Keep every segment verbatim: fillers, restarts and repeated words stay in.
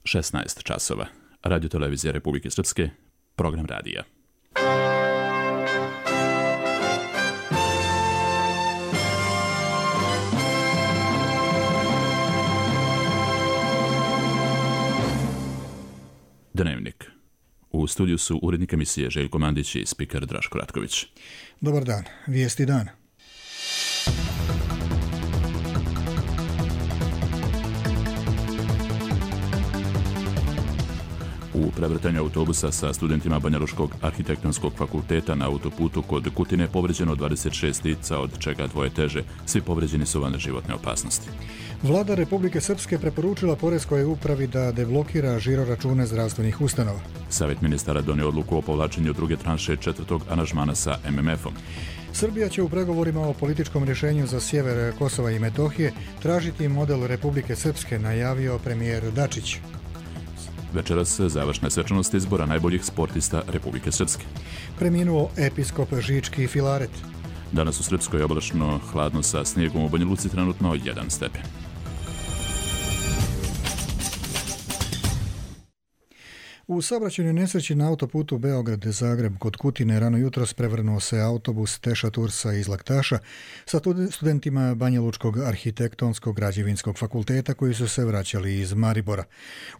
šesnaest časova. Radio televizija Republike Srpske, program radija. Dnevnik. U studiju su urednik emisije Željko Mandić i spiker Draško Ratković. Dobar dan. Vijesti dana. U prevrtanju autobusa sa studentima Banjalučkog arhitektonskog fakulteta na autoputu kod Kutine povređeno dvadeset šest lica, od čega dvoje teže. Svi povređeni su van životne opasnosti. Vlada Republike Srpske preporučila Poreskoj upravi da deblokira žiroračune zdravstvenih ustanova. Savjet ministara donio odluku o povlačenju druge tranše četvrtog aranžmana sa em em efom. Srbija će u pregovorima o političkom rješenju za sjever Kosova i Metohije tražiti model Republike Srpske, najavio premijer Dačić. Večeras završne svečanosti izbora najboljih sportista Republike Srpske. Preminuo episkop Žički Filaret. Danas u Srpskoj je oblačno, hladno sa snijegom, u Banja Luci trenutno jedan stepen. U saobraćajnoj nesreći na autoputu Beograd-Zagreb kod Kutine rano jutros prevrnuo se autobus Teša Tursa iz Laktaša sa studentima Banjalučkog arhitektonskog građevinskog fakulteta koji su se vraćali iz Maribora.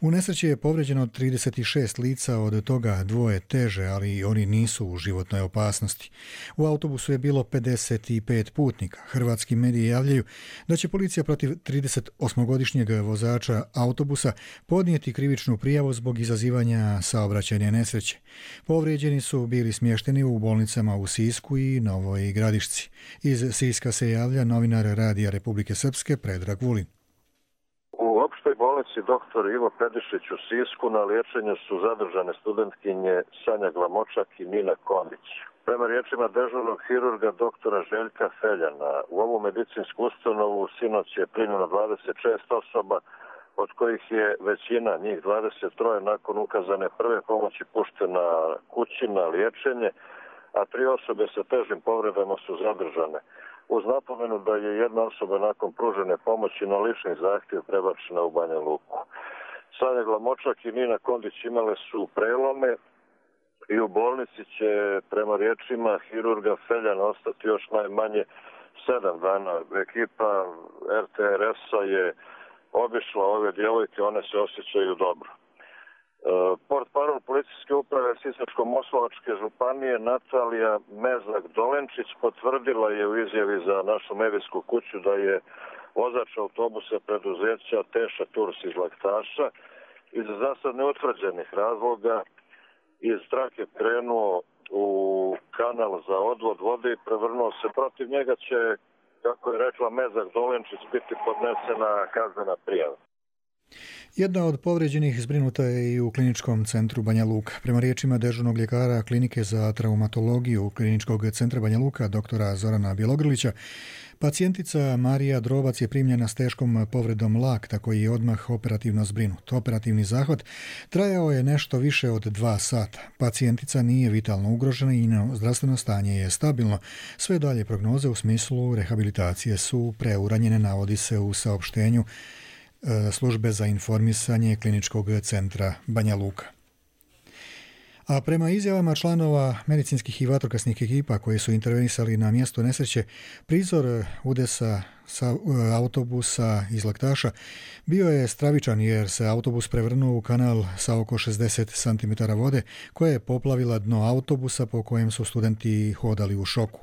U nesreći je povređeno trideset šest lica, od toga dvoje teže, ali oni nisu u životnoj opasnosti. U autobusu je bilo pedeset pet putnika. Hrvatski mediji javljaju da će policija protiv tridesetosmogodišnjeg vozača autobusa podnijeti krivičnu prijavu zbog izazivanja saobraćajne nesreće. Povrijeđeni su bili smješteni u bolnicama u Sisku i Novoj Gradišci. Iz Siska se javlja novinar Radija Republike Srpske Predrag Vulin. U opštoj bolnici doktor Ivo Pedišić u Sisku na liječenju su zadržane studentkinje Sanja Glamočak i Nina Kondić. Prema riječima dežurnog hirurga doktora Željka Feljana, u ovu medicinsku ustanovu sinoć je primljeno dvadeset šest osoba, od kojih je većina, njih dvadeset tri, nakon ukazane prve pomoći puštena kući na liječenje, a tri osobe sa težim povredama su zadržane. Uz napomenu da je jedna osoba nakon pružene pomoći na lični zahtjev prebačena u Banja Luku. Sanja Glamočak i Nina Kondić imale su prelome i u bolnici će, prema riječima hirurga Feljana, ostati još najmanje sedam dana. Ekipa er te er es-a je obišla ove djevojke, one se osjećaju dobro. E, Portparol policijske uprave Sisačko-moslavačke županije Natalija Mezak-Dolenčić potvrdila je u izjavi za našu medijsku kuću da je vozač autobusa preduzeća Teša Turs iz Laktaša iz za sad neutvrđenih razloga iz trake krenuo u kanal za odvod vode i prevrnuo se. Protiv njega će, kako je rekla Mezak-Dolenčić, biti podnesena kaznena prijava. Jedna od povređenih zbrinuta je i u kliničkom centru Banja Luka. Prema riječima dežurnog ljekara klinike za traumatologiju kliničkog centra Banja Luka, doktora Zorana Bjelogrlića, pacijentica Marija Drobac je primljena s teškom povredom lakta koji je odmah operativno zbrinut. Operativni zahvat trajao je nešto više od dva sata. Pacijentica nije vitalno ugrožena i njeno zdravstveno stanje je stabilno. Sve dalje prognoze u smislu rehabilitacije su preuranjene, navodi se u saopštenju službe za informisanje kliničkog centra Banja Luka. A prema izjavama članova medicinskih i vatrogasnih ekipa koji su intervenisali na mjesto nesreće, prizor udesa sa autobusa iz Laktaša bio je stravičan jer se autobus prevrnuo u kanal sa oko šezdeset centimetara vode koja je poplavila dno autobusa po kojem su studenti hodali u šoku.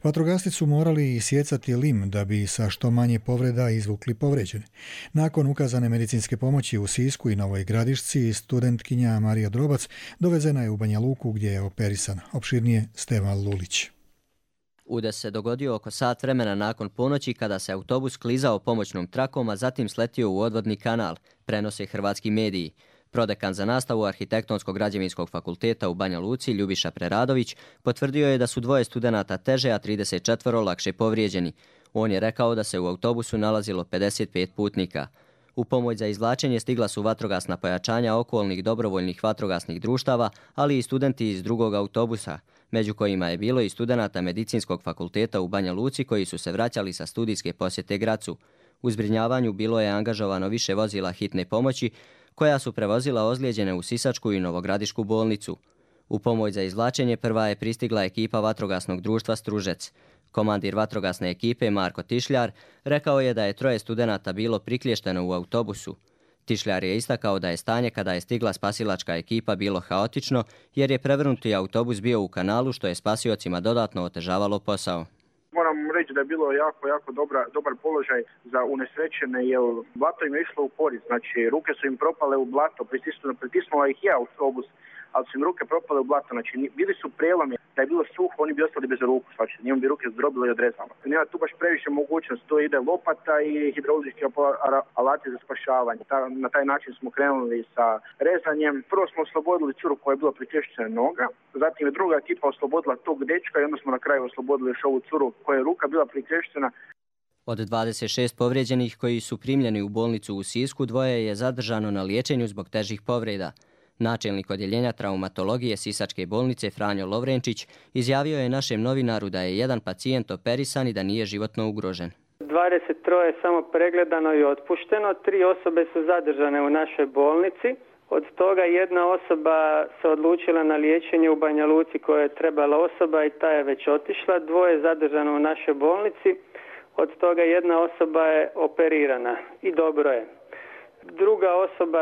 Vatrogasci su morali isjecati lim da bi sa što manje povreda izvukli povređene. Nakon ukazane medicinske pomoći u Sisku i Novoj Gradišci, studentkinja Marija Drobac dovezena je u Banja Luku gdje je operisana. Opširnije Stevan Lulić. Udes se dogodio oko sat vremena nakon ponoći kada se autobus klizao pomoćnom trakom, a zatim sletio u odvodni kanal, prenose hrvatski mediji. Prodekan za nastavu Arhitektonskog građevinskog fakulteta u Banja Luci, Ljubiša Preradović, potvrdio je da su dvoje studenata teže, a trideset četiri lakše povrijeđeni. On je rekao da se u autobusu nalazilo pedeset pet putnika. U pomoć za izvlačenje stigla su vatrogasna pojačanja okolnih dobrovoljnih vatrogasnih društava, ali i studenti iz drugog autobusa, među kojima je bilo i studenata Medicinskog fakulteta u Banja Luci koji su se vraćali sa studijske posjete Gracu. U zbrinjavanju bilo je angažovano više vozila hitne pomoći, koja su prevozila ozlijeđene u Sisačku i Novogradišku bolnicu. U pomoć za izvlačenje prva je pristigla ekipa vatrogasnog društva Stružec. Komandir vatrogasne ekipe Marko Tišljar rekao je da je troje studenata bilo prikliješteno u autobusu. Tišljar je istakao da je stanje kada je stigla spasilačka ekipa bilo haotično jer je prevrnuti autobus bio u kanalu što je spasiocima dodatno otežavalo posao. Moram reći da je bilo jako, jako dobra, dobar položaj za unesrećene jer blato im je išlo u korist. Znači ruke su im propale u blato, pritisnula, pritisnula ih je autobus, ali su im ruke propale u blato. Znači bili su prelomi, da je bilo suho, oni bi ostali bez ruku, znači njima bi ruke zdrobile i odrezalo. Nema tu baš previše mogućnost, to ide lopata i hidraulički alati za spašavanje. Ta, na taj način smo krenuli sa rezanjem. Prvo smo oslobodili curu koja je bila priklješćena noga, zatim je druga ekipa oslobodila tog dečka i onda smo na kraju oslobodili još ovu curu koja je ruka bila priklješćena. Od dvadeset šest povrijeđenih koji su primljeni u bolnicu u Sisku, dvoje je zadržano na liječenju zbog težih povreda. Načelnik odjeljenja traumatologije Sisačke bolnice Franjo Lovrenčić izjavio je našem novinaru da je jedan pacijent operisan i da nije životno ugrožen. dvadeset tri je samo pregledano i otpušteno, tri osobe su zadržane u našoj bolnici. Od toga jedna osoba se odlučila na liječenje u Banja Luci koja je trebala osoba i ta je već otišla. Dvoje je zadržano u našoj bolnici, od toga jedna osoba je operirana i dobro je. Druga osoba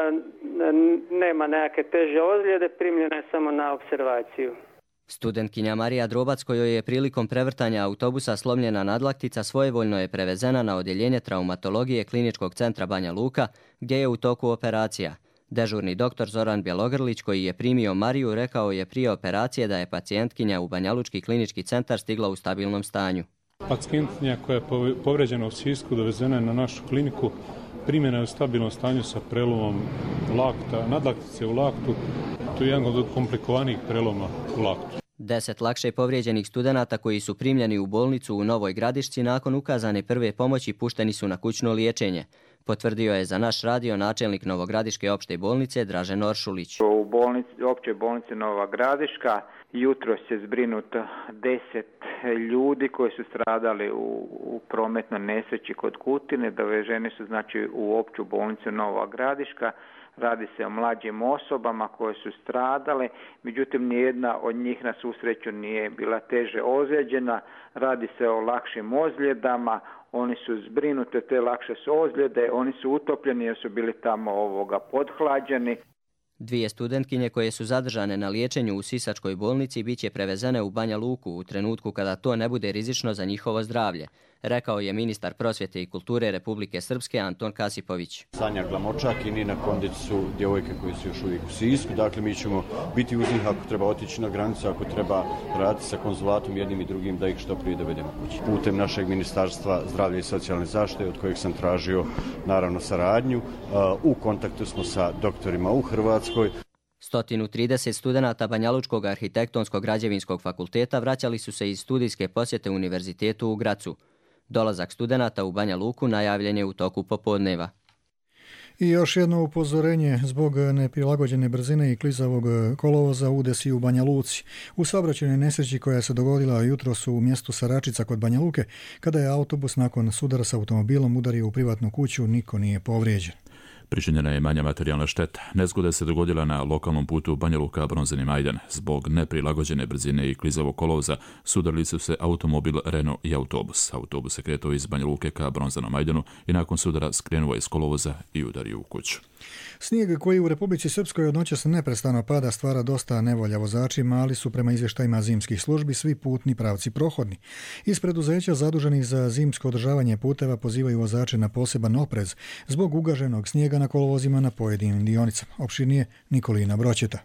nema nekakve teže ozljede, primljena je samo na observaciju. Studentkinja Marija Drobac, kojoj je prilikom prevrtanja autobusa slomljena nadlaktica, svojevoljno je prevezena na odjeljenje traumatologije Kliničkog centra Banja Luka, gdje je u toku operacija. Dežurni doktor Zoran Bjelogrlić, koji je primio Mariju, rekao je prije operacije da je pacijentkinja u Banjalučki klinički centar stigla u stabilnom stanju. Pacijentkinja koja je povređena u Sisku dovezena je na našu kliniku. Primjena je u stabilnom stanju sa prelomom lakta, nadlaktice u laktu. To je jedan od komplikovanijih preloma u laktu. Deset lakše povrijeđenih studenata koji su primljeni u bolnicu u Novoj Gradišci nakon ukazane prve pomoći pušteni su na kućno liječenje. Potvrdio je za naš radio načelnik Novogradiške opšte bolnice Dražen Oršulić. U bolnici, općoj bolnici Nova Gradiška jutros je zbrinuto deset ljudi koji su stradali u, u prometnoj nesreći kod Kutine. Doveženi su znači u opću bolnicu Nova Gradiška. Radi se o mlađim osobama koje su stradale, međutim nijedna od njih na svu sreću nije bila teže ozlijeđena. Radi se o lakšim ozljedama, oni su zbrinute, te lakše su ozljede, oni su utopljeni jer su bili tamo ovoga podhlađeni. Dvije studentkinje koje su zadržane na liječenju u Sisačkoj bolnici bit će prevezene u Banja Luku u trenutku kada to ne bude rizično za njihovo zdravlje, rekao je ministar prosvjete i kulture Republike Srpske Anton Kasipović. Sanja Glamočak i Nina Kondić su djevojke koje su još uvijek u Sisku, dakle mi ćemo biti uz njih ako treba otići na granicu, ako treba raditi sa konzulatom jednim i drugim da ih što prije dovedemo kući. Putem našeg Ministarstva zdravlja i socijalne zaštite, od kojeg sam tražio naravno saradnju, u kontaktu smo sa doktorima u Hrvatskoj. sto trideset studenata Banjalučkog arhitektonskog građevinskog fakulteta vraćali su se iz studijske posjete univerzitetu u Gracu. Dolazak studenata u Banja Luku najavljen je u toku popodneva. I još jedno upozorenje zbog neprilagođene brzine i klizavog kolovoza udesi u Banja Luci. U saobraćajnoj nesreći koja se dogodila jutros u mjestu Saračica kod Banja Luke, kada je autobus nakon sudara s automobilom udario u privatnu kuću, niko nije povrijeđen. Pričinjena je manja materijalna šteta. Nezgoda se dogodila na lokalnom putu Banja Luka Bronzani Majdan. Zbog neprilagođene brzine i klizavog kolovoza sudarili su se automobil Renault i autobus. Autobus se kretao iz Banja Luke ka Bronzanom Majdanu i nakon sudara skrenuo iz kolovoza i udario u kuću. Snijeg koji u Republici Srpskoj od noćas neprestano pada stvara dosta nevolja vozačima, ali su prema izvještajima zimskih službi svi putni pravci prohodni. Iz preduzeća zaduženih za zimsko održavanje puteva pozivaju vozače na poseban oprez zbog ugaženog snijega na kolovozima na pojedinim dionicama. Opširnije Nikolina Broćeta.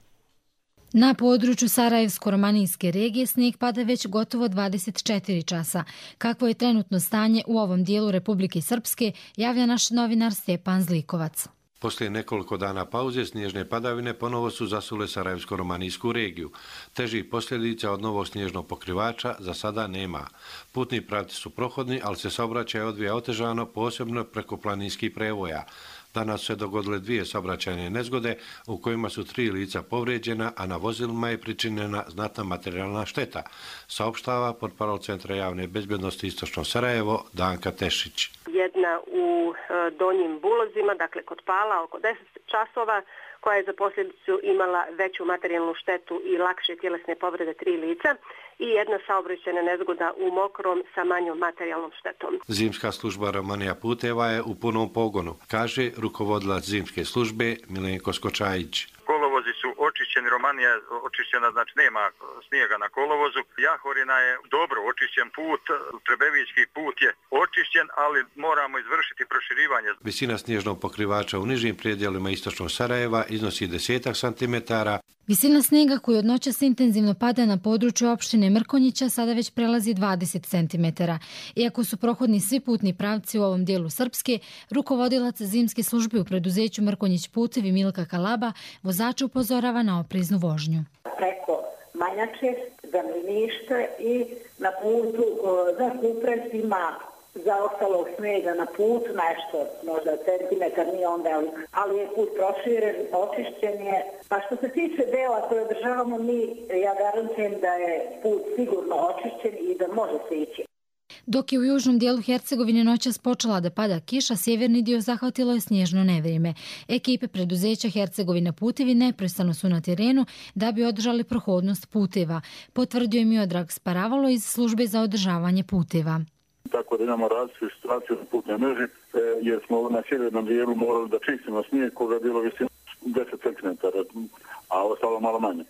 Na području Sarajevsko-romanijske regije snijeg pada već gotovo dvadeset četiri časa. Kakvo je trenutno stanje u ovom dijelu Republike Srpske, javlja naš novinar Stjepan Zlikovac. Poslije nekoliko dana pauze snježne padavine ponovo su zasule Sarajevsko-romanijsku regiju. Težih posljedica od novog snježnog pokrivača za sada nema. Putni pravci su prohodni, ali se saobraćaj odvija otežano, posebno preko planinskih prevoja. Danas se dogodile dvije saobraćajne nezgode u kojima su tri lica povrijeđena, a na vozilima je pričinjena znatna materijalna šteta, saopštava portparol Centra javne bezbjednosti Istočno Sarajevo Danka Tešić. Jedna u Donjim Bulozima, dakle kod Pala, oko deset časova, koja je za posljedicu imala veću materijalnu štetu i lakše tjelesne povrede tri lica, i jedna saobraćajna nezgoda u Mokrom sa manjom materijalnom štetom. Zimska služba Romanija puteva je u punom pogonu, kaže rukovodilac zimske službe Milenko Skočajić. Kolovozi su očišćeni, Romanija je očišćena, znači nema snijega na kolovozu. Jahorina je dobro očišćen put, Trebevićki put je očišćen, ali moramo izvršiti proširivanje. Visina snježnog pokrivača u nižim predjelima istočnog Sarajeva iznosi desetak santimetara. Visina snijega koji od noćas intenzivno pada na području opštine Mrkonjića sada već prelazi dvadeset centimetara. Iako su prohodni svi putni pravci u ovom dijelu Srpske, rukovodilac zimske službe u preduzeću Mrkonjić putevi Milka Kalaba vozača upozorava na opreznu vožnju. Preko Manjače, Zamljeništa i na putu za Kuprez ima za ostalog snijega na putu, nešto, možda centimetar, nije onda, ali je put proširen, očišćen je. Pa što se tiče dela koje održavamo mi, ja garantujem da je put sigurno očišćen i da može se ići. Dok je u južnom dijelu Hercegovine noćas počela da pada kiša, sjeverni dio zahvatilo je snježno nevrijeme. Ekipe preduzeća Hercegovina putevi neprestano su na terenu da bi održali prohodnost puteva, potvrdio je Miodrag Sparavalo iz službe za održavanje puteva. Tako da imamo različite situacije na putnoj mreži, jer smo na sjevernom dijelu morali da čistimo snijeg koga je bilo visina deset centimetara, a ostalo malo manje.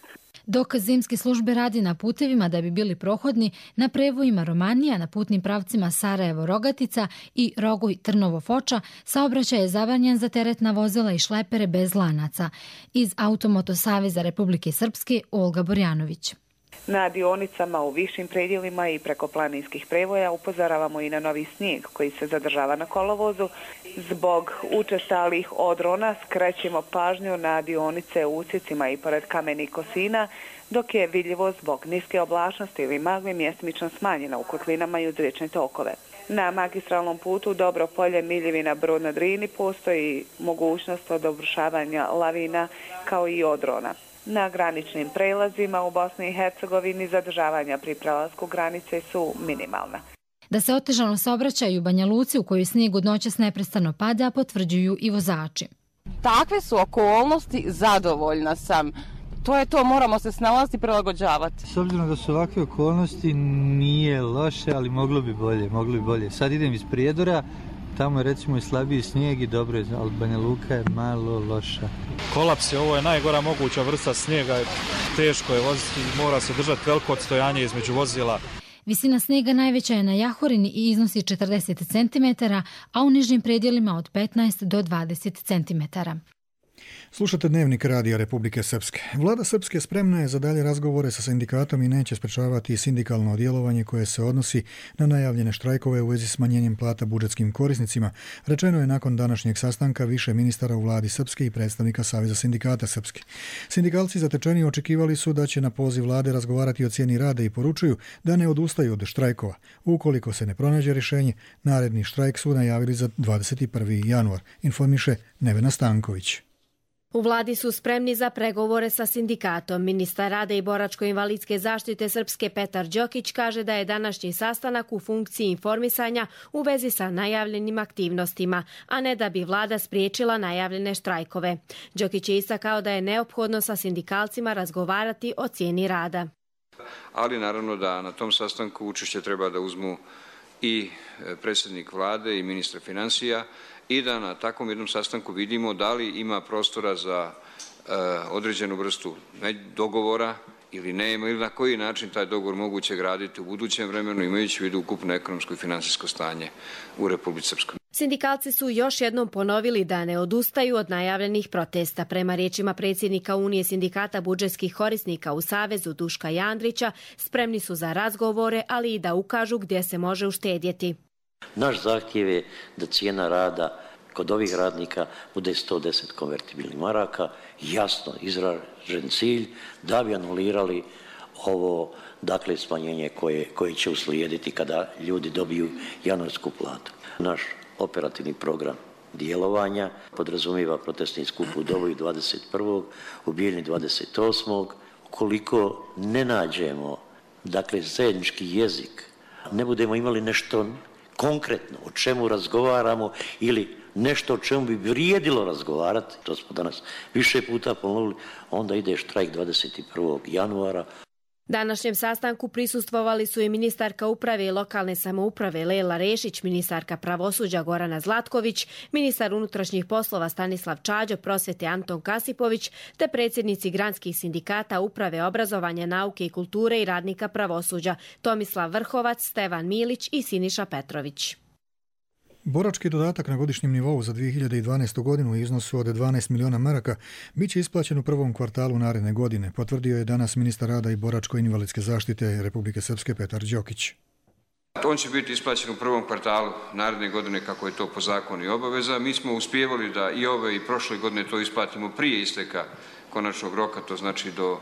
Dok zimske službe radi na putevima da bi bili prohodni, na prevojima Romanija, na putnim pravcima Sarajevo-Rogatica i Rogoj-Trnovo-Foča, saobraćaj je zabranjen za teretna vozila i šlepere bez lanaca. Iz Automoto Saveza Republike Srpske, Olga Borjanović. Na dionicama u višim predjelima i preko planinskih prevoja upozoravamo i na novi snijeg koji se zadržava na kolovozu. Zbog učestalih odrona skrećemo pažnju na dionice u usjecima i pored kamenih kosina, dok je vidljivo zbog niske oblačnosti ili magle mjestimično smanjena u kotlinama i uz riječne tokove. Na magistralnom putu Dobro polje Miljevina Brod na Drini postoji mogućnost od obrušavanja lavina kao i odrona. Na graničnim prelazima u Bosni i Hercegovini zadržavanja pri prelasku granice su minimalna. Da se otežano saobraćaju u Banja Luci u kojoj snijeg od noćas neprestano pada, potvrđuju i vozači. Takve su okolnosti, zadovoljna sam. To je to, moramo se snalaziti i prilagođavati. S obzirom da su ovakve okolnosti nije loše, ali moglo bi bolje, moglo bi bolje. Sad idem iz Prijedora, tamo je recimo i slabiji snijeg i dobro je, ali Banja Luka je malo loša. Kolaps je, ovo je najgora moguća vrsta snijega, teško je voziti, mora se držati veliko odstojanje između vozila. Visina snijega najveća je na Jahorini i iznosi četrdeset centimetara, a u nižim predjelima od petnaest do dvadeset centimetara. Slušate Dnevnik Radija Republike Srpske. Vlada Srpske spremna je za dalje razgovore sa sindikatom i neće sprečavati sindikalno djelovanje koje se odnosi na najavljene štrajkove u vezi s smanjenjem plata budžetskim korisnicima. Rečeno je nakon današnjeg sastanka više ministara u vladi Srpske i predstavnika Saveza sindikata Srpske. Sindikalci zatečeni očekivali su da će na poziv vlade razgovarati o cijeni rada i poručuju da ne odustaju od štrajkova. Ukoliko se ne pronađe rješenje, naredni štrajk su najavili za dvadeset prvi januar, informiše Nevena Stanković. U vladi su spremni za pregovore sa sindikatom. Ministar rada i boračko-invalidske zaštite Srpske Petar Đokić kaže da je današnji sastanak u funkciji informisanja u vezi sa najavljenim aktivnostima, a ne da bi vlada spriječila najavljene štrajkove. Đokić je istakao da je neophodno sa sindikalcima razgovarati o cijeni rada. Ali naravno da na tom sastanku učešće treba da uzmu i predsjednik vlade i ministar financija, i da na takvom jednom sastanku vidimo da li ima prostora za e, određenu vrstu dogovora ili nema, ili na koji način taj dogovor moguće graditi u budućem vremenu, imajući u vidu ukupno ekonomsko i finansijsko stanje u Republici Srpskoj. Sindikalci su još jednom ponovili da ne odustaju od najavljenih protesta. Prema riječima predsjednika Unije sindikata budžetskih korisnika u Savezu Duška Jandrića, spremni su za razgovore, ali i da ukažu gdje se može uštedjeti. Naš zahtjev je da cijena rada kod ovih radnika bude sto deset konvertibilnih maraka, jasno izražen cilj da bi anulirali ovo, dakle, smanjenje koje, koje će uslijediti kada ljudi dobiju januarsku platu. Naš operativni program djelovanja, podrazumiva protestni skup u Doboju dvadeset prvog u Bijeljni dvadeset osmog Ukoliko ne nađemo, dakle, zajednički jezik, ne budemo imali nešto konkretno o čemu razgovaramo ili nešto o čemu bi vrijedilo razgovarati, to smo danas više puta ponovili, onda ide štrajk dvadeset prvog januara. Današnjem sastanku prisustvovali su i ministarka uprave i lokalne samouprave Lela Rešić, ministarka pravosuđa Gorana Zlatković, ministar unutrašnjih poslova Stanislav Čađo, prosvete Anton Kasipović, te predsjednici granskih sindikata uprave obrazovanja, nauke i kulture i radnika pravosuđa Tomislav Vrhovac, Stevan Milić i Siniša Petrović. Borački dodatak na godišnjem nivou za dvije hiljade dvanaestu. godinu u iznosu od dvanaest miliona maraka bit će isplaćen u prvom kvartalu naredne godine, potvrdio je danas ministar rada i boračko-invalidske zaštite Republike Srpske Petar Đokić. On će biti isplaćen u prvom kvartalu naredne godine kako je to po zakonu i obaveza. Mi smo uspjevali da i ove i prošle godine to isplatimo prije isteka konačnog roka, to znači do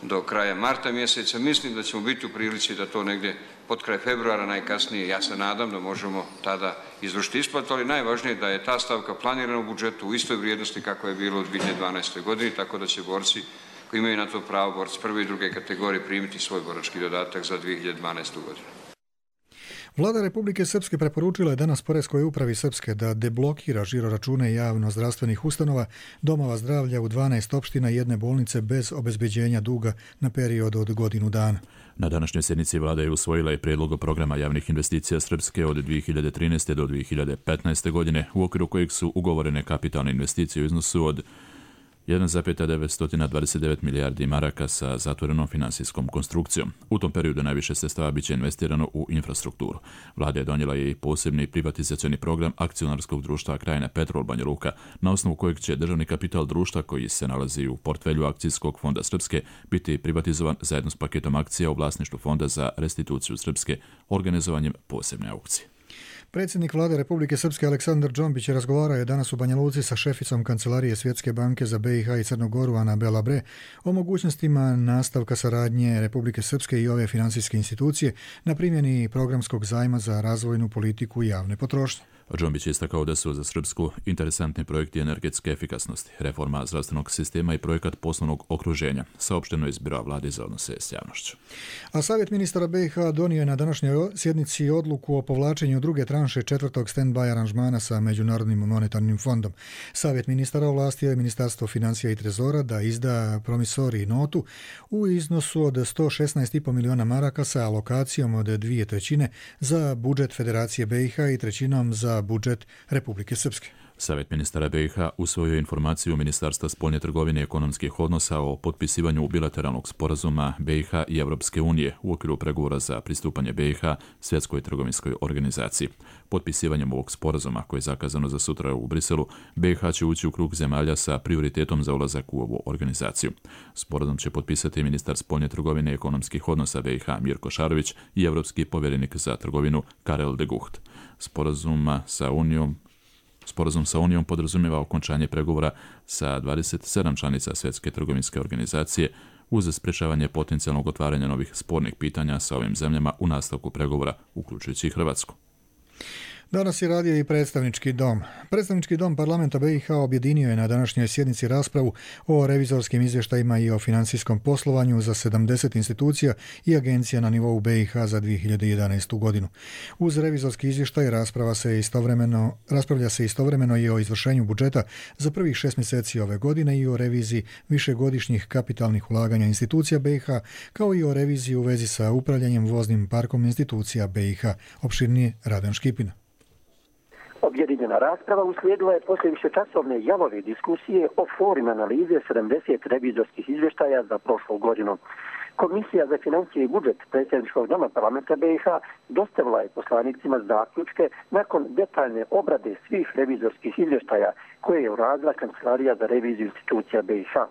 do kraja marta mjeseca. Mislim da ćemo biti u prilici da to negdje pod kraj februara najkasnije, ja se nadam da možemo tada izvršiti isplatu, ali najvažnije je da je ta stavka planirana u budžetu u istoj vrijednosti kako je bilo u dvije hiljade dvanaestoj. godini, tako da će borci koji imaju na to pravo, borci prve i druge kategorije, primiti svoj borački dodatak za dvije hiljade dvanaestu. godinu. Vlada Republike Srpske preporučila je danas Poreskoj upravi Srpske da deblokira žiroračune javno-zdravstvenih ustanova, domova zdravlja u dvanaest opština i jedne bolnice bez obezbeđenja duga na period od godinu dana. Na današnjoj sjednici vlada je usvojila i prijedlog programa javnih investicija Srpske od dvije hiljade trinaeste. do dvije hiljade petnaeste. godine, u okviru kojeg su ugovorene kapitalne investicije u iznosu od jedan zarez devetsto dvadeset devet milijardi maraka sa zatvorenom finansijskom konstrukcijom. U tom periodu najviše sredstava biće investirano u infrastrukturu. Vlada je donijela i posebni privatizacioni program akcionarskog društva Krajina Petrol Banja Luka, na osnovu kojeg će državni kapital društva koji se nalazi u portfelju akcijskog fonda Srpske biti privatizovan zajedno s paketom akcija u vlasništvu Fonda za restituciju Srpske organizovanjem posebne aukcije. Predsjednik vlade Republike Srpske Aleksandar Džombić razgovarao je danas u Banja Luci sa šeficom Kancelarije Svjetske banke za be i ha i Crnu Goru Ana Belabre o mogućnostima nastavka saradnje Republike Srpske i ove finansijske institucije na primjeni programskog zajma za razvojnu politiku i javne potrošnje. Džombić je istakao da su za Srpsku interesantni projekti energetske efikasnosti, reforma zdravstvenog sistema i projekat poslovnog okruženja, saopšteno iz Biroa vlade za odnose s javnošću. A Savjet ministara be i ha donio je na današnjoj sjednici odluku o povlačenju druge tranše četvrtog stand-by aranžmana sa Međunarodnim monetarnim fondom. Savjet ministara ovlastio je Ministarstvo financija i trezora da izda promisori notu u iznosu od sto šesnaest zarez pet miliona maraka sa alokacijom od dvije trećine za budžet Federacije be i ha i trećinom za budžet Republike Srpske. Savjet ministara be i ha usvojio informaciju Ministarstva spoljne trgovine i ekonomskih odnosa o potpisivanju bilateralnog sporazuma be i ha i Evropske unije u okviru pregovora za pristupanje be i ha Svjetskoj trgovinskoj organizaciji. Potpisivanjem ovog sporazuma, koje je zakazano za sutra u Briselu, be i ha će ući u krug zemalja sa prioritetom za ulazak u ovu organizaciju. Sporazum će potpisati ministar spoljne trgovine i ekonomskih odnosa be i ha Mirko Šarović i evropski povjerenik za trgovinu Karel de Gucht. Sporazuma sa Unijom Sporazum sa Unijom podrazumijeva okončanje pregovora sa dvadeset sedam članica Svjetske trgovinske organizacije uz sprečavanje potencijalnog otvaranja novih spornih pitanja sa ovim zemljama u nastavku pregovora, uključujući i Hrvatsku. Danas je radio i predstavnički dom. Predstavnički dom parlamenta be i ha objedinio je na današnjoj sjednici raspravu o revizorskim izvještajima i o financijskom poslovanju za sedamdeset institucija i agencija na nivou be i ha za dvije hiljade jedanaestu. godinu. Uz revizorski izvještaj rasprava se istovremeno, raspravlja se istovremeno i o izvršenju budžeta za prvih šest mjeseci ove godine i o reviziji višegodišnjih kapitalnih ulaganja institucija be i ha, kao i o reviziji u vezi sa upravljanjem voznim parkom institucija be i ha. Opširnije Radan Škipina. Objedinjena rasprava uslijedila je poslije višečasovne jalove diskusije o formi analize sedamdeset revizorskih izvještaja za prošlu godinu. Komisija za financije i budžet predsjedničkog doma parlamenta be i ha dostavila je poslanicima zaključke nakon detaljne obrade svih revizorskih izvještaja koje je uradila Kancelarija za reviziju institucija be i ha.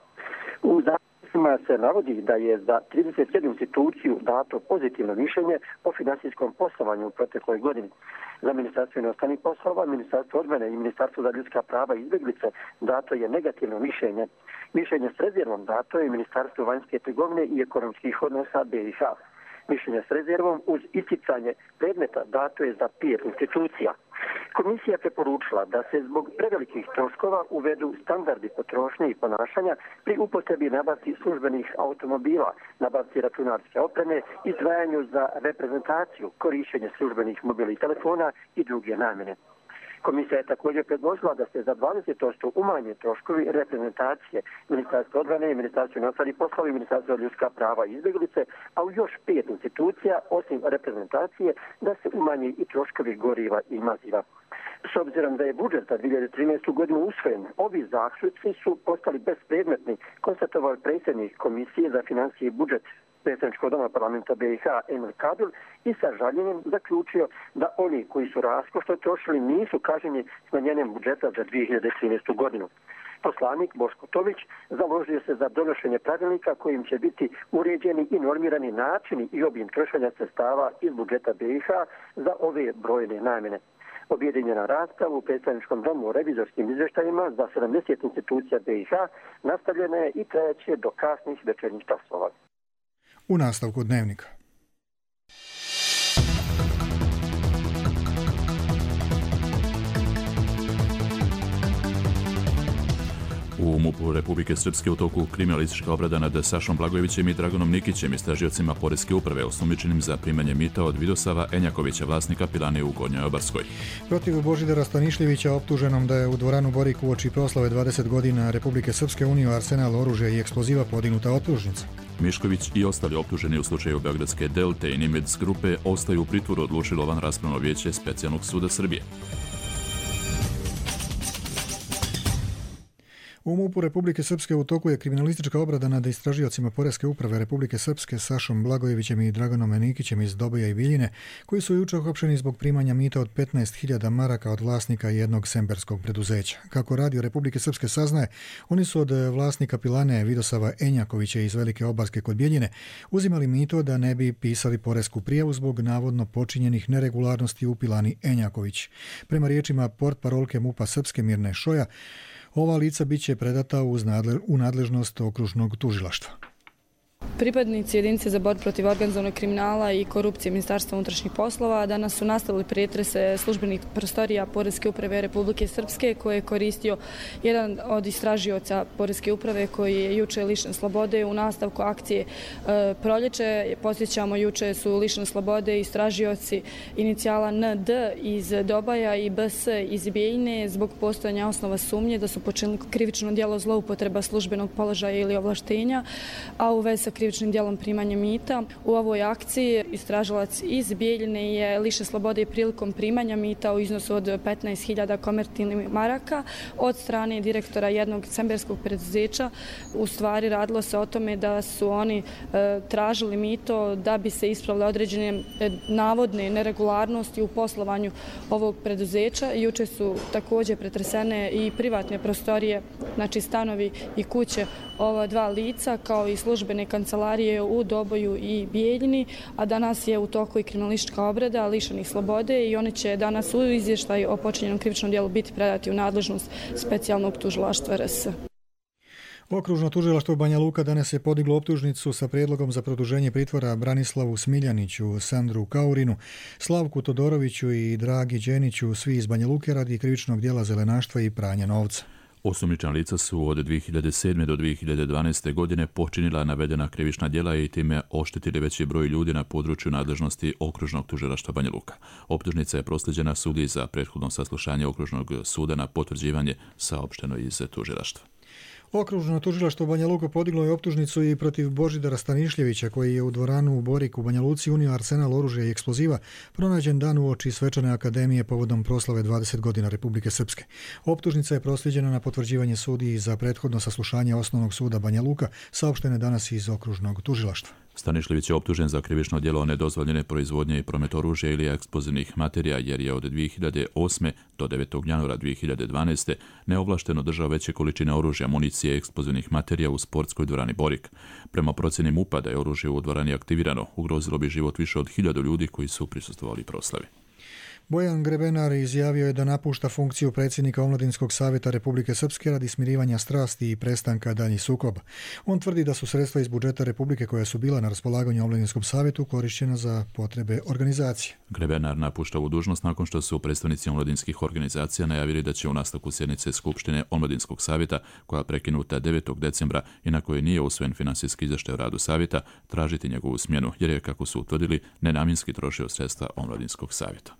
U zaključcima se navodi da je za trideset jednu instituciju dato pozitivno mišljenje o finansijskom poslovanju u protekloj godini. Za Ministarstvo inostranih poslova, Ministarstvo odbrane i Ministarstvo za ljudska prava i izbjeglice dato je negativno mišljenje. Mišljenje s rezervom dato je Ministarstvo vanjske trgovine i ekonomskih odnosa be i ha. Mišljenje s rezervom uz isticanje predmeta dato je za pet institucija. Komisija preporučila da se zbog prevelikih troškova uvedu standardi potrošnje i ponašanja pri upotrebi nabavci službenih automobila, nabavci računarske opreme, izdvajanju za reprezentaciju, korišćenje službenih mobilnih telefona i druge namjene. Komisija je također predložila da se za dvadeset posto umanje troškovi reprezentacije Ministarstva odbrane, Ministarstva unutarnjih poslova i Ministarstva ljudska prava i izbjeglice, a u još pet institucija, osim reprezentacije, da se umanje i troškovi goriva i maziva. S obzirom da je budžet za dvije hiljade trinaestu. godinu usvojen, ovi zaključci su postali bespredmetni, konstatovao predsjednik Komisije za financije i budžet Predstavničkog doma parlamenta B i H Emil Kabil i sa žaljenjem zaključio da oni koji su raskošno trošili nisu kažnjeni smanjenjem budžeta za dvije hiljade trinaestu. godinu. Poslanik Boško Tomić založio se za donošenje pravilnika kojim će biti uređeni i normirani načini i obim trošenja sredstava iz budžeta B i H za ove brojne namjene. Objedinjena rasprava u Predstavničkom domu o revizorskim izvještajima za sedamdeset institucija B i H nastavljena je i trajaće do kasnih večernjih časova. U nastavku dnevnika. U MUP-u Republike Srpske u toku kriminalistička obrada nad Sašom Blagojevićem i Draganom Nikićem, istražiocima Poreske uprave, osumnjičenim za primanje mita od Vidosava Enjakovića, vlasnika pilane u Gornjoj Obarskoj. Protiv Božidara Stanišljevića, optuženom da je u dvoranu Borik uoči proslave dvadeset godina Republike Srpske unio arsenal oružja i eksploziva, podignuta optužnica. Mišković i ostali optuženi u slučaju Beogradske Delte i Nimitz grupe ostaju u pritvoru, odlučilo vanraspravno vijeće Specijalnog suda Srbije. U MUP-u Republike Srpske u toku je kriminalistička obrada nad istražiocima Poreske uprave Republike Srpske Sašom Blagojevićem i Draganom Nikićem iz Doboja i Biljine, koji su jučer uhapšeni zbog primanja mita od petnaest hiljada maraka od vlasnika jednog semberskog preduzeća. Kako Radio Republike Srpske saznaje, oni su od vlasnika pilane Vidosava Enjakovića iz Velike Obarske kod Bijeljine uzimali mito da ne bi pisali poresku prijavu zbog navodno počinjenih neregularnosti u pilani Enjaković. Prema riječima portparolke MUP-a Srpske Mirne Šoja, ova lica bit će predata u nadležnost okružnog tužilaštva. Pripadnici jedinice za borbu protiv organizovanog kriminala i korupcije Ministarstva unutrašnjih poslova danas su nastavili pretrese službenih prostorija Poreske uprave Republike Srpske, koje je koristio jedan od istražioca Poreske uprave koji je juče lišen slobode u nastavku akcije e, Proljeće. Posjećamo, juče su lišeni slobode istražioci inicijala N D iz Dobaja i B S iz Bijeljine zbog postojanja osnova sumnje da su počinili krivično djelo zloupotreba službenog položaja ili ovlaštenja, a u vezi sa krivičnim djelom primanja mita. U ovoj akciji istražilac iz Bijeljine je lišen slobode i prilikom primanja mita u iznosu od petnaest hiljada konvertibilnih maraka od strane direktora jednog semberskog preduzeća. U stvari radilo se o tome da su oni e, tražili mito da bi se ispravile određene e, navodne neregularnosti u poslovanju ovog preduzeća. Juče su također pretresene i privatne prostorije, znači stanovi i kuće ova dva lica, kao i službene kancelarije u Doboju i Bijeljini, a danas je u toku i kriminalistička obrada lišenih slobode i oni će danas u izvještaj o počinjenom krivičnom djelu biti predati u nadležnost Specijalnog tužilaštva R S. Okružno tužilaštvo Banja Luka danas je podiglo optužnicu sa prijedlogom za produženje pritvora Branislavu Smiljaniću, Sandru Kaurinu, Slavku Todoroviću i Dragi Đeniću, svi iz Banja Luke, radi krivičnog djela zelenaštva i pranja novca. Osumnjičena lica su od dvije hiljade sedme. do dvije hiljade dvanaeste. godine počinila navedena krivična djela i time oštetili veći broj ljudi na području nadležnosti Okružnog tužilaštva Banja Luka. Optužnica je proslijeđena sudiji za prethodno saslušanje Okružnog suda na potvrđivanje, saopšteno iz tužilaštva. Okružno tužilaštvo Banja Luka podiglo je optužnicu i protiv Božidara Stanišljevića, koji je u dvoranu u Boriku u Banja Luci unio arsenal oružja i eksploziva, pronađen dan uoči svečane akademije povodom proslave dvadeset godina Republike Srpske. Optužnica je proslijeđena na potvrđivanje sudiji za prethodno saslušanje Osnovnog suda Banja Luka, saopštene danas iz Okružnog tužilaštva. Stanišljević je optužen za krivično djelo nedozvoljene proizvodnje i promet oružja ili eksplozivnih materija, jer je od dvije hiljade osme. do devetog januara dvije hiljade dvanaeste. neovlašteno držao veće količine oružja, municije i eksplozivnih materija u sportskoj dvorani Borik. Prema procjeni MUP-a da je oružje u dvorani aktivirano, ugrozilo bi život više od hiljadu ljudi koji su prisustvovali proslavi. Bojan Grebenar izjavio je da napušta funkciju predsjednika Omladinskog savjeta Republike Srpske radi smirivanja strasti i prestanka daljnjih sukoba. On tvrdi da su sredstva iz budžeta Republike koja su bila na raspolaganju Omladinskom savjetu korišćena za potrebe organizacije. Grebenar napušta ovu dužnost nakon što su predstavnici omladinskih organizacija najavili da će u nastavku sjednice Skupštine Omladinskog savjeta, koja prekinuta devetog decembra i na kojoj nije usvojen finansijski izvještaj o radu savjeta, tražiti njegovu smjenu, jer je, kako su utvrdili, nenamjenski trošio sredstva Omladinskog savjeta.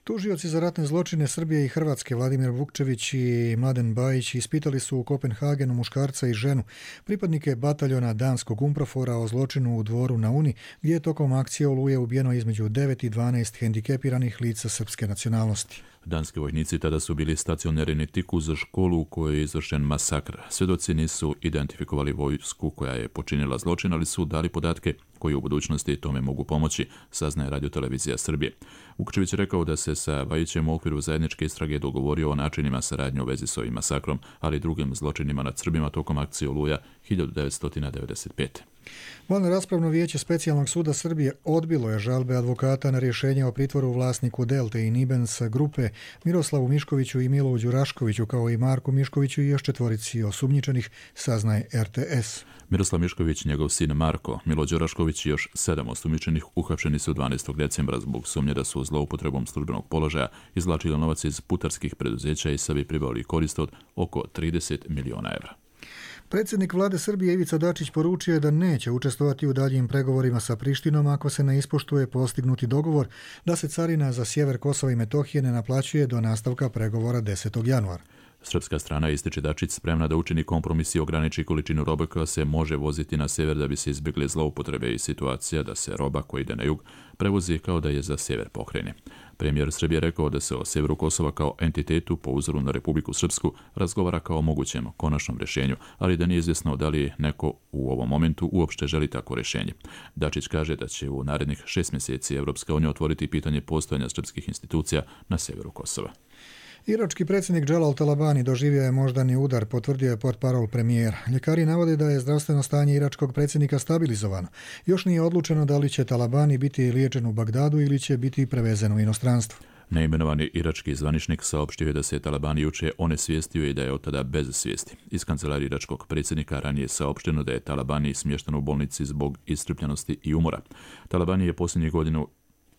Tužioci za ratne zločine Srbije i Hrvatske Vladimir Vukčević i Mladen Bajić ispitali su u Kopenhagenu muškarca i ženu, pripadnike bataljona danskog Umprofora o zločinu u Dvoru na Uni, gdje je tokom akcije Oluje ubijeno između devet i dvanaest hendikepiranih lica srpske nacionalnosti. Danski vojnici tada su bili stacionirani tik uz školu u kojoj je izvršen masakr. Svjedoci nisu identifikovali vojsku koja je počinila zločin, ali su dali podatke koji u budućnosti tome mogu pomoći, saznaje radiotelevizija Srbije. Vukčević je rekao da se sa Bajićem u okviru zajedničke istrage dogovorio o načinima saradnje u vezi s ovim masakrom, ali i drugim zločinima nad Srbima tokom akcije Oluja hiljadu devetsto devedeset pete. Valno raspravno vijeće Specijalnog suda Srbije odbilo je žalbe advokata na rješenje o pritvoru vlasniku Delte i Nibens grupe Miroslavu Miškoviću i Milovu Đuraškoviću, kao i Marku Miškoviću i još četvorici osumnjičenih, saznaje R T S. Miroslav Mišković, njegov sin Marko, Milo Đurašković i još sedam osumnjičenih uhapšeni su dvanaestog decembra zbog sumnje da su zloupotrebom službenog položaja izvlačili novac iz putarskih preduzeća i sebi pribavili korist od oko trideset miliona evra. Predsjednik vlade Srbije Ivica Dačić poručio je da neće učestvovati u daljim pregovorima sa Prištinom ako se ne ispoštuje postignuti dogovor da se carina za sjever Kosova i Metohije ne naplaćuje do nastavka pregovora desetog januara. Srpska strana, ističe Dačić, spremna da učini kompromis i ograniči količinu robe koja se može voziti na sjever da bi se izbjegle zloupotrebe i situacija da se roba koja ide na jug prevozi kao da je za sjever pokrajine. Premijer Srbije rekao da se o sjeveru Kosova kao entitetu po uzoru na Republiku Srpsku razgovara kao o mogućem konačnom rješenju, ali da nije izvjesno da li neko u ovom momentu uopšte želi tako rješenje. Dačić kaže da će u narednih šest mjeseci Evropska unija otvoriti pitanje postojanja srpskih institucija na sjeveru Kosova. Irački predsjednik Dželal Talabani doživio je moždani udar, potvrdio je portparol premijera. Ljekari navode da je zdravstveno stanje iračkog predsjednika stabilizovano. Još nije odlučeno da li će Talabani biti liječen u Bagdadu ili će biti prevezen u inostranstvo. Neimenovani irački zvaničnik saopštio je da se Talabani juče onesvijestio i da je od tada bez svijesti. Iz kancelarije iračkog predsjednika ranije saopšteno da je Talabani smješten u bolnici zbog iscrpljenosti i umora. Talabani je posljednjih godinu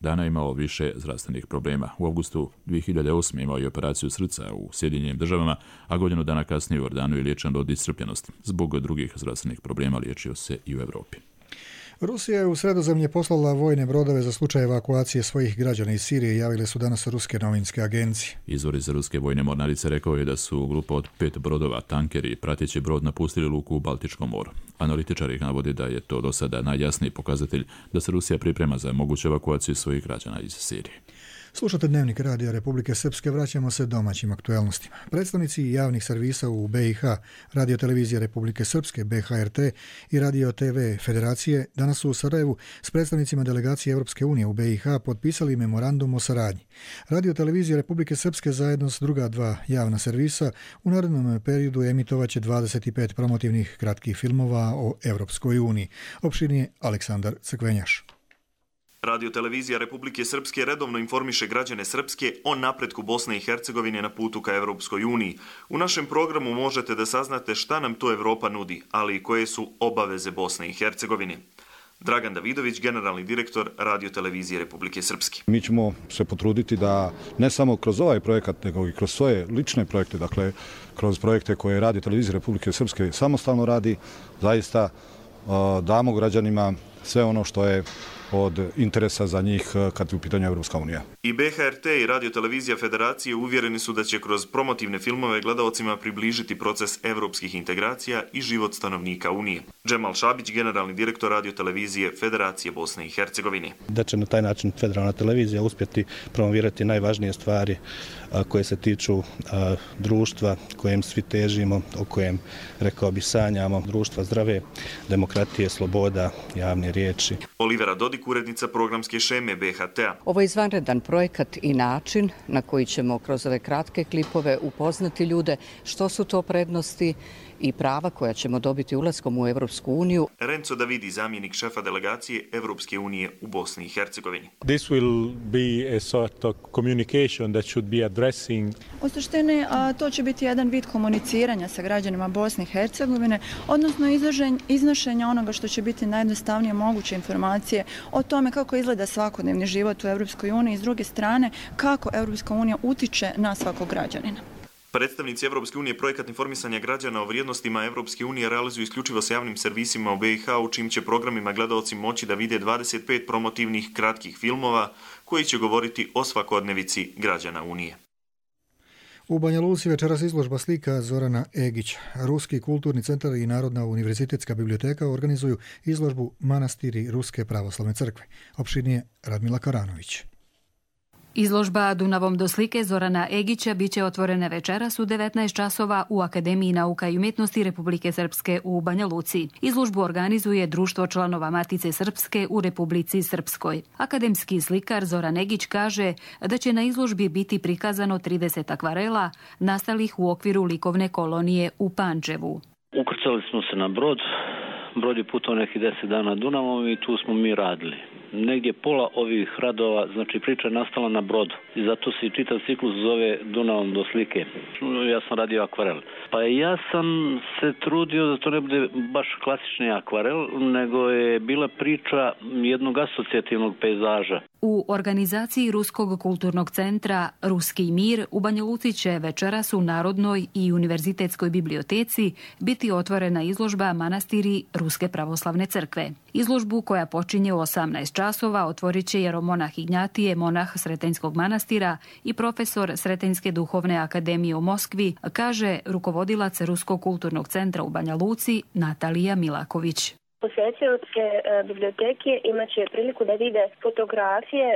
dana imao više zdravstvenih problema. U avgustu dvije hiljade osme imao je operaciju srca u Sjedinjenim državama, a godinu dana kasnije u Jordanu je liječen od iscrpljenosti. Zbog drugih zdravstvenih problema liječio se i u Europi. Rusija je u Sredozemlje poslala vojne brodove za slučaj evakuacije svojih građana iz Sirije, javile su danas ruske novinske agencije. Izvor iz ruske vojne mornarice rekao je da su grupa od pet brodova, tankeri i prateći brod napustili luku u Baltičkom moru. Analitičari navode da je to do sada najjasniji pokazatelj da se Rusija priprema za moguću evakuaciju svojih građana iz Sirije. Slušate Dnevnik radija Republike Srpske, vraćamo se domaćim aktuelnostima. Predstavnici javnih servisa u B i H, Radio televizije Republike Srpske, B H R T i Radio T V Federacije danas su u Sarajevu s predstavnicima delegacije Europske unije u B i H potpisali memorandum o saradnji. Radio televizija Republike Srpske zajedno s druga dva javna servisa u narednom periodu emitovaće dvadeset pet promotivnih kratkih filmova o Europskoj uniji. Opširnije Aleksandar Crkvenjaš. Radio televizija Republike Srpske redovno informiše građane Srpske o napretku Bosne i Hercegovine na putu ka Evropskoj uniji. U našem programu možete da saznate šta nam to Evropa nudi, ali i koje su obaveze Bosne i Hercegovine. Dragan Davidović, generalni direktor Radio televizije Republike Srpske. Mi ćemo se potruditi da ne samo kroz ovaj projekat, nego i kroz svoje lične projekte, dakle kroz projekte koje Radio televizija Republike Srpske samostalno radi, zaista damo građanima sve ono što je od interesa za njih kad je u pitanju Evropska unija. I B H R T i Radio televizija Federacije uvjereni su da će kroz promotivne filmove gledalcima približiti proces evropskih integracija i život stanovnika Unije. Džemal Šabić, generalni direktor Radio televizije Federacije Bosne i Hercegovine. Da će na taj način federalna televizija uspjeti promovirati najvažnije stvari koje se tiču društva kojem svi težimo, o kojem, rekao bi, sanjamo, društva zdrave, demokratije, sloboda, javne riječi. Olivera Dodik, Dodik, urednica programske šeme B H T-a. Ovo je izvanredan projekat i način na koji ćemo kroz ove kratke klipove upoznati ljude što su to prednosti i prava koja ćemo dobiti ulaskom u Evropsku uniju. Renzo Davidi, zamjenik šefa delegacije Evropske unije u Bosni i Hercegovini. This will be a sort of communication that should be addressing. U suštini, to će biti jedan vid komuniciranja sa građanima Bosne i Hercegovine, odnosno iznošenja onoga što će biti najjednostavnije moguće informacije o tome kako izgleda svakodnevni život u Evropskoj uniji i s druge strane kako Evropska unija utiče na svakog građanina. Predstavnici Evropske unije projekat informisanja građana o vrijednostima Evropske unije realizuju isključivo sa javnim servisima u B i H, u čim će programima gledaoci moći da vide dvadeset pet promotivnih kratkih filmova koji će govoriti o svakodnevici građana Unije. U Banja Luci večeras izložba slika Zorana Egića. Ruski kulturni centar i Narodna univerzitetska biblioteka organizuju izložbu Manastiri Ruske pravoslavne crkve. Opširnije Radmila Karanović. Izložba Dunavom do slike Zorana Egića biće otvorena večeras u devetnaest časova u Akademiji nauka i umjetnosti Republike Srpske u Banja Luci. Izložbu organizuje Društvo članova Matice Srpske u Republici Srpskoj. Akademski slikar Zoran Egić kaže da će na izložbi biti prikazano trideset akvarela nastalih u okviru likovne kolonije u Pančevu. Ukrcali smo se na brod. Brod je putao nekih deset dana Dunavom i tu smo mi radili. Negdje pola ovih radova, znači priča je nastala na brodu i zato se i čitav ciklus zove Dunavom do slike. Ja sam radio akvarel. Pa ja sam se trudio da to ne bude baš klasični akvarel, nego je bila priča jednog asocijativnog pejzaža. U organizaciji Ruskog kulturnog centra Ruski mir u Banja Luci će večeras u Narodnoj i univerzitetskoj biblioteci biti otvorena izložba Manastiri Ruske pravoslavne crkve. Izložbu koja počinje u osamnaest časova otvorit će jeromonah Ignjatije, monah Sretenjskog manastira i profesor Sretenjske duhovne akademije u Moskvi, kaže rukovodilac Ruskog kulturnog centra u Banja Luci Natalija Milaković. Posjetioci biblioteke imat će priliku da vide fotografije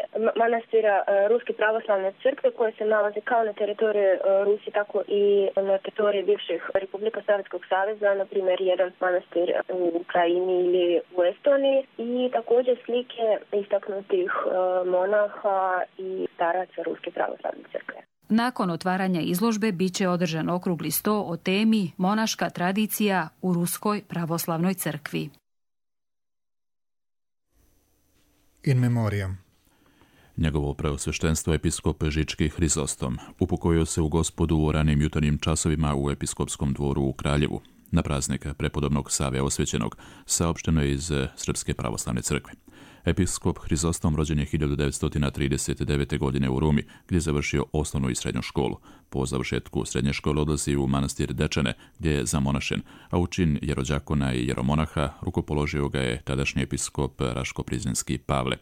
manastira Ruske pravoslavne crkve koje se nalaze kao na teritoriji Rusije, tako i na teritoriji bivših Republika Sovjetskog saveza, na primjer jedan manastir u Ukrajini ili u Estoniji, i također slike istaknutih monaha i staraca Ruske pravoslavne crkve. Nakon otvaranja izložbe bit će održan okrugli sto o temi Monaška tradicija u Ruskoj pravoslavnoj crkvi. In memoriam. Njegovo preosveštenstvo episkop Žički Hrizostom upokojio se u Gospodu u ranim jutarnjim časovima u episkopskom dvoru u Kraljevu. Na praznik prepodobnog Save Osvećenog saopšteno je iz Srpske pravoslavne crkve. Episkop Hrizostom rođen je hiljadu devetsto trideset devete. godine u Rumi, gdje je završio osnovnu i srednju školu. Po završetku srednje škole odlazi u manastir Dečane, gdje je zamonašen, a u čin jerođakona i jeromonaha rukopoložio ga je tadašnji episkop Raško-Prizrenski Pavle.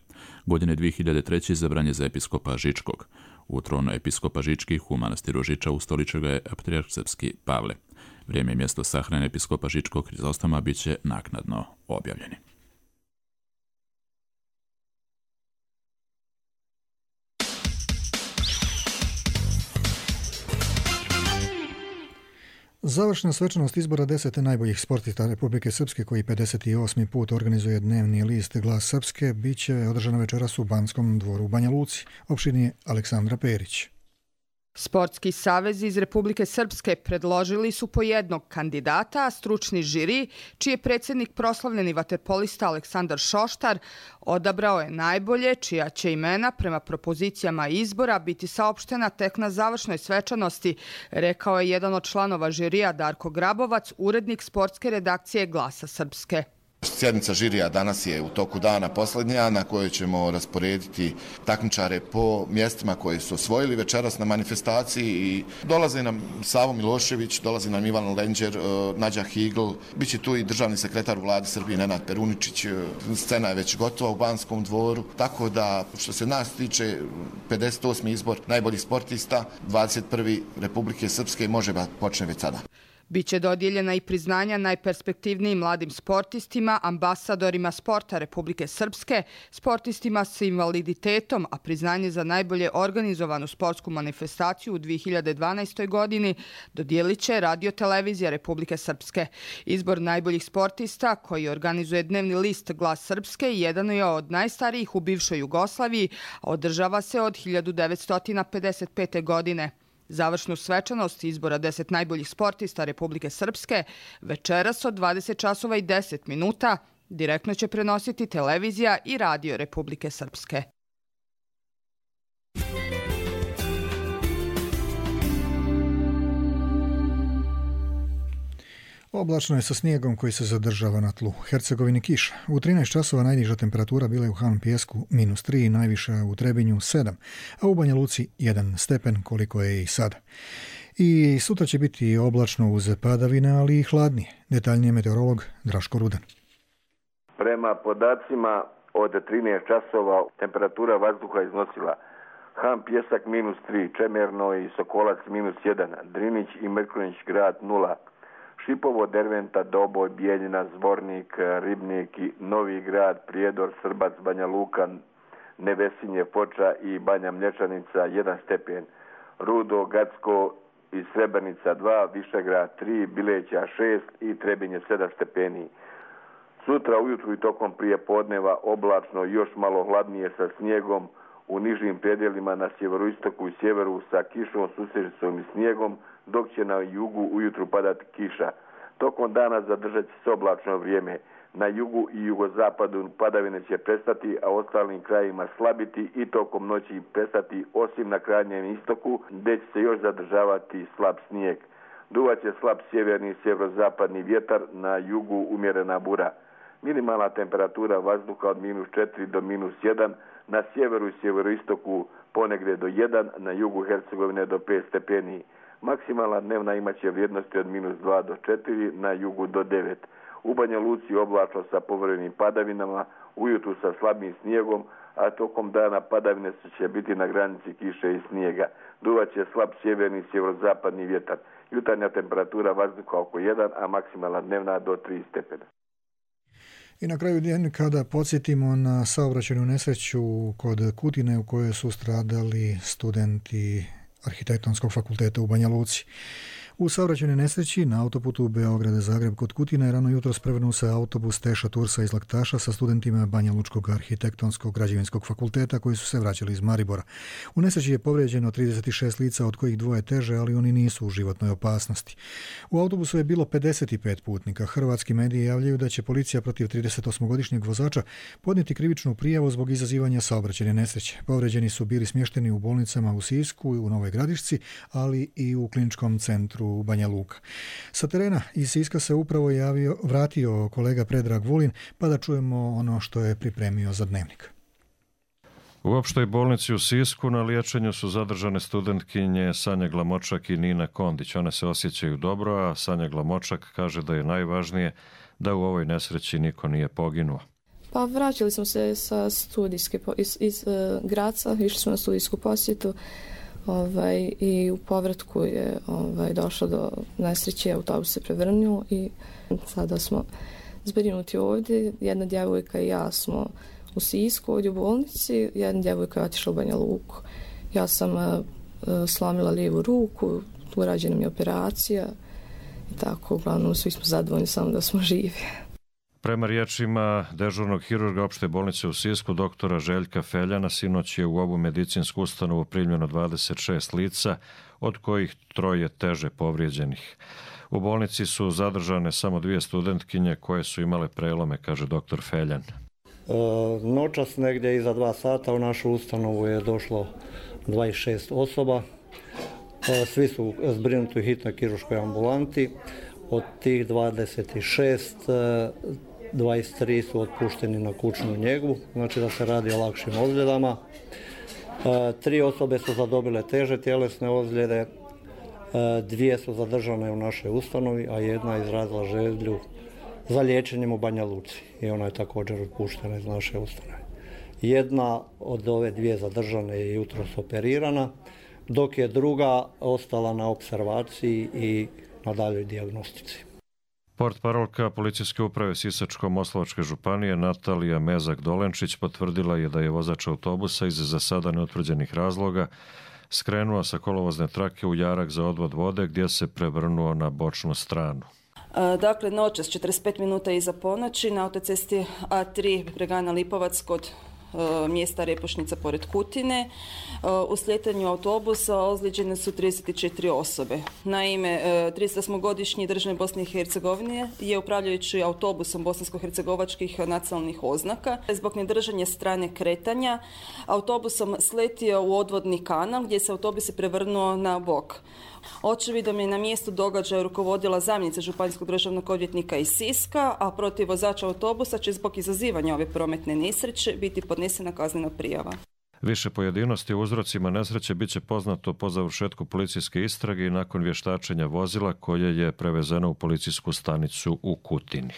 Godine dvije hiljade treće. izabran je za episkopa Žičkog. U tron episkopa Žičkih u manastiru Žiča ustoličio ga je patrijarh srpski Pavle. Vrijeme i mjesto sahrane episkopa Žičkog Hrizostoma bit će naknadno objavljeni. Završna svečanost izbora deset najboljih sportista Republike Srpske, koji pedeset osmi put organizuje dnevni list Glas Srpske, bit će održana večeras u Banskom dvoru u Banja Luci. Opširnije Aleksandra Perić. Sportski savezi iz Republike Srpske predložili su po jednog kandidata, a stručni žiri, čiji je predsjednik proslavljeni vaterpolista Aleksandar Šoštar, odabrao je najbolje, čija će imena prema propozicijama izbora biti saopštena tek na završnoj svečanosti, rekao je jedan od članova žirija Darko Grabovac, urednik sportske redakcije Glasa Srpske. Sjednica žirija danas je u toku dana posljednja, na kojoj ćemo rasporediti takmičare po mjestima koje su osvojili večeras na manifestaciji. I dolazi nam Savo Milošević, dolazi nam Ivan Lenđer, Nađa Higl, bit će tu i državni sekretar u vladi Srbije Nenad Peruničić. Scena je već gotova u Banskom dvoru, tako da što se nas tiče pedeset osmi izbor najboljih sportista dvadeset prve. Republike Srpske može da počne već sada. Biće dodijeljena i priznanja najperspektivnijim mladim sportistima, ambasadorima sporta Republike Srpske, sportistima s invaliditetom, a priznanje za najbolje organizovanu sportsku manifestaciju u dvije hiljade dvanaestoj. godini dodijelit će Radio-televizija Republike Srpske. Izbor najboljih sportista koji organizuje dnevni list Glas Srpske jedan je od najstarijih u bivšoj Jugoslaviji, a održava se od hiljadu devetsto pedeset pete. godine. Završnu svečanost izbora deset najboljih sportista Republike Srpske večeras od dvadeset časova i deset minuta direktno će prenositi televizija i Radio Republike Srpske. Oblačno je sa snijegom koji se zadržava na tlu. Hercegovini kiša. U trinaest časova najniža temperatura bila je u Han Pijesku minus tri, najviša u Trebinju sedam, a u Banja Luci jedan stepen koliko je i sada. I sutra će biti oblačno uz padavine, ali i hladnije. Detaljnije meteorolog Draško Rudan. Prema podacima od trinaest časova temperatura vazduha iznosila Han Pijesak minus tri, Čemerno i Sokolac minus jedan, Drinić i Mrkonjić grad nula, Šipovo, Derventa, Doboj, Bijeljina, Zvornik, Ribnik, Novi grad, Prijedor, Srbac, Banja Luka, Nevesinje, Foča i Banja Mlječanica jedan stepen, Rudo, Gacko i Srebrenica dva, Višegrad tri, Bileća šest i Trebinje sedam stepeni. Sutra ujutru i tokom prije podneva oblačno još malo hladnije sa snijegom, u nižim predjelima na sjeveroistoku i sjeveru sa kišom, susrećicom i snijegom, dok će na jugu ujutru padati kiša. Tokom dana zadržat će se oblačno vrijeme. Na jugu i jugozapadu padavine će prestati, a ostalim krajima slabiti i tokom noći prestati, osim na krajnjem istoku, gdje će se još zadržavati slab snijeg. Duvaće slab sjeverni i sjeverozapadni vjetar, na jugu umjerena bura. Minimalna temperatura vazduha od minus četiri do minus jedan, na sjeveru i sjeveroistoku ponegdje do jedan, na jugu Hercegovine do pet stepeni. Maksimalna dnevna imaće vrijednosti od minus dva do četiri, na jugu do devet. U Banja Luci oblačno sa povremenim padavinama, ujutru sa slabim snijegom, a tokom dana padavine će biti na granici kiše i snijega. Duvaće slab sjeverni i sjeverozapadni vjetar. Jutarnja temperatura vazduha oko jedan, a maksimalna dnevna do tri stepena. I na kraju dnevnika da podsjetimo na saobraćajnu nesreću kod Kutine u kojoj su stradali studenti Arhitektonskog fakulteta u Banja Luci. U saobraćajnoj nesreći na autoputu Beograd-Zagreb kod Kutine rano jutro prevrnuo se autobus Teša Tursa iz Laktaša sa studentima Banja Lučkog arhitektonskog građevinskog fakulteta koji su se vraćali iz Maribora. U nesreći je povrijeđeno trideset šest lica, od kojih dvoje teže, ali oni nisu u životnoj opasnosti. U autobusu je bilo pedeset pet putnika. Hrvatski mediji javljaju da će policija protiv tridesetosmogodišnjeg vozača podnijeti krivičnu prijavu zbog izazivanja saobraćajne nesreće. Povrijeđeni su bili smješteni u bolnicama u Sisku i u Novoj Gradišci, ali i u kliničkom centru u Banja Luka. Sa terena iz Siska se upravo javio, vratio kolega Predrag Vulin, pa da čujemo ono što je pripremio za dnevnik. U opštoj bolnici u Sisku na liječenju su zadržane studentkinje Sanja Glamočak i Nina Kondić. One se osjećaju dobro, a Sanja Glamočak kaže da je najvažnije da u ovoj nesreći niko nije poginuo. Pa vraćali smo se sa studijske, iz, iz uh, Graca, išli smo na studijsku posjetu. Ovaj, i u povratku je ovaj, došlo do nesreće, autobus se prevrnuo i sada smo zbrinuti ovdje. Jedna djevojka i ja smo u Sisku ovdje u bolnici, jedna djevojka je otišla u Banja Luku. Ja sam uh, slomila lijevu ruku, urađena mi je operacija i tako, uglavnom svi smo zadovoljni samo da smo živi. Prema riječima dežurnog hirurga opšte bolnice u Sisku, doktora Željka Feljana, sinoć je u ovu medicinsku ustanovu primljeno dvadeset šest lica, od kojih troje teže povrijeđenih. U bolnici su zadržane samo dvije studentkinje koje su imale prelome, kaže doktor Feljan. E, noćas negdje iza dva sata u našu ustanovu je došlo dvadeset šest osoba. E, svi su zbrinuti u hitnoj kirurškoj ambulanti. Od tih dvadeset šest, dvadeset tri su otpušteni na kućnu njegu, znači da se radi o lakšim ozljedama. Tri osobe su zadobile teže tjelesne ozljede, dvije su zadržane u našoj ustanovi, a jedna je izrazila želju za liječenjem u Banja Luci i ona je također otpuštena iz naše ustanove. Jedna od ove dvije zadržane je jutros operirana, dok je druga ostala na opservaciji i na daljoj dijagnostici. Portparolka policijske uprave Sisačko-Moslavačke županije Natalija Mezak-Dolenčić potvrdila je da je vozač autobusa iz za sada neutvrđenih razloga skrenuo sa kolovozne trake u jarak za odvod vode gdje se prevrnuo na bočnu stranu. Dakle, noćas četrdeset pet minuta iza ponoći na autocesti A tri Bregana Lipovac kod mjesta Repošnica pored Kutine. U slijetanju autobusa ozlijeđene su trideset četiri osobe. Naime, tridesetosmogodišnji državljanin Bosne i Hercegovine je upravljajući autobusom bosansko-hercegovačkih nacionalnih oznaka zbog nedržanja strane kretanja autobusom sletio u odvodni kanal gdje se autobus je prevrnuo na bok. Očevidom je na mjestu događaja rukovodila zamjenica županijskog državnog odvjetnika iz Siska, a protiv vozača autobusa će zbog izazivanja ove prometne nesreće biti podnesena kaznena prijava. Više pojedinosti o uzrocima nesreće bit će poznato po završetku policijske istrage i nakon vještačenja vozila koje je prevezeno u policijsku stanicu u Kutini.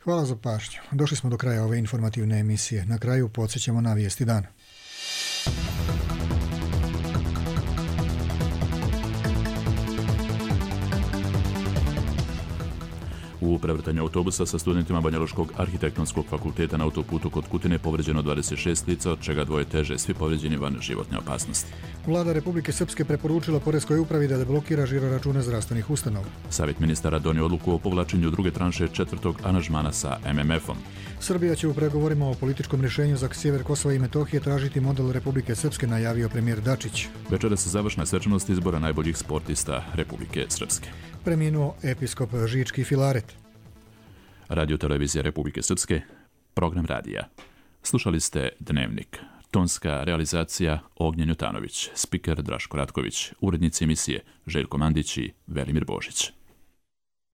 Hvala za pažnju. Došli smo do kraja ove informativne emisije. Na kraju podsjećamo na vijesti dana. U prevrtanju autobusa sa studentima Banjaluškog arhitektonskog fakulteta na autoputu kod Kutine povređeno dvadeset šest lica, od čega dvoje teže, svi povređeni van životne opasnosti. Vlada Republike Srpske preporučila Poreskoj upravi da deblokira žiroračune zdravstvenih ustanova. Savjet ministara donio odluku o povlačenju druge tranše četvrtog aranžmana sa em em efom. Srbija će u pregovorima o političkom rješenju za sjever Kosova i Metohije tražiti model Republike Srpske, najavio premijer Dačić. Večeras se završna svečanost izbora najboljih sportista Republike Srpske. Preminuo episkop Žički Filaret. Radio televizija Republike Srpske, program radija. Slušali ste Dnevnik. Tonska realizacija Ognjen Jutanović, spiker Draško Ratković, urednici emisije Željko Mandić i Velimir Božić.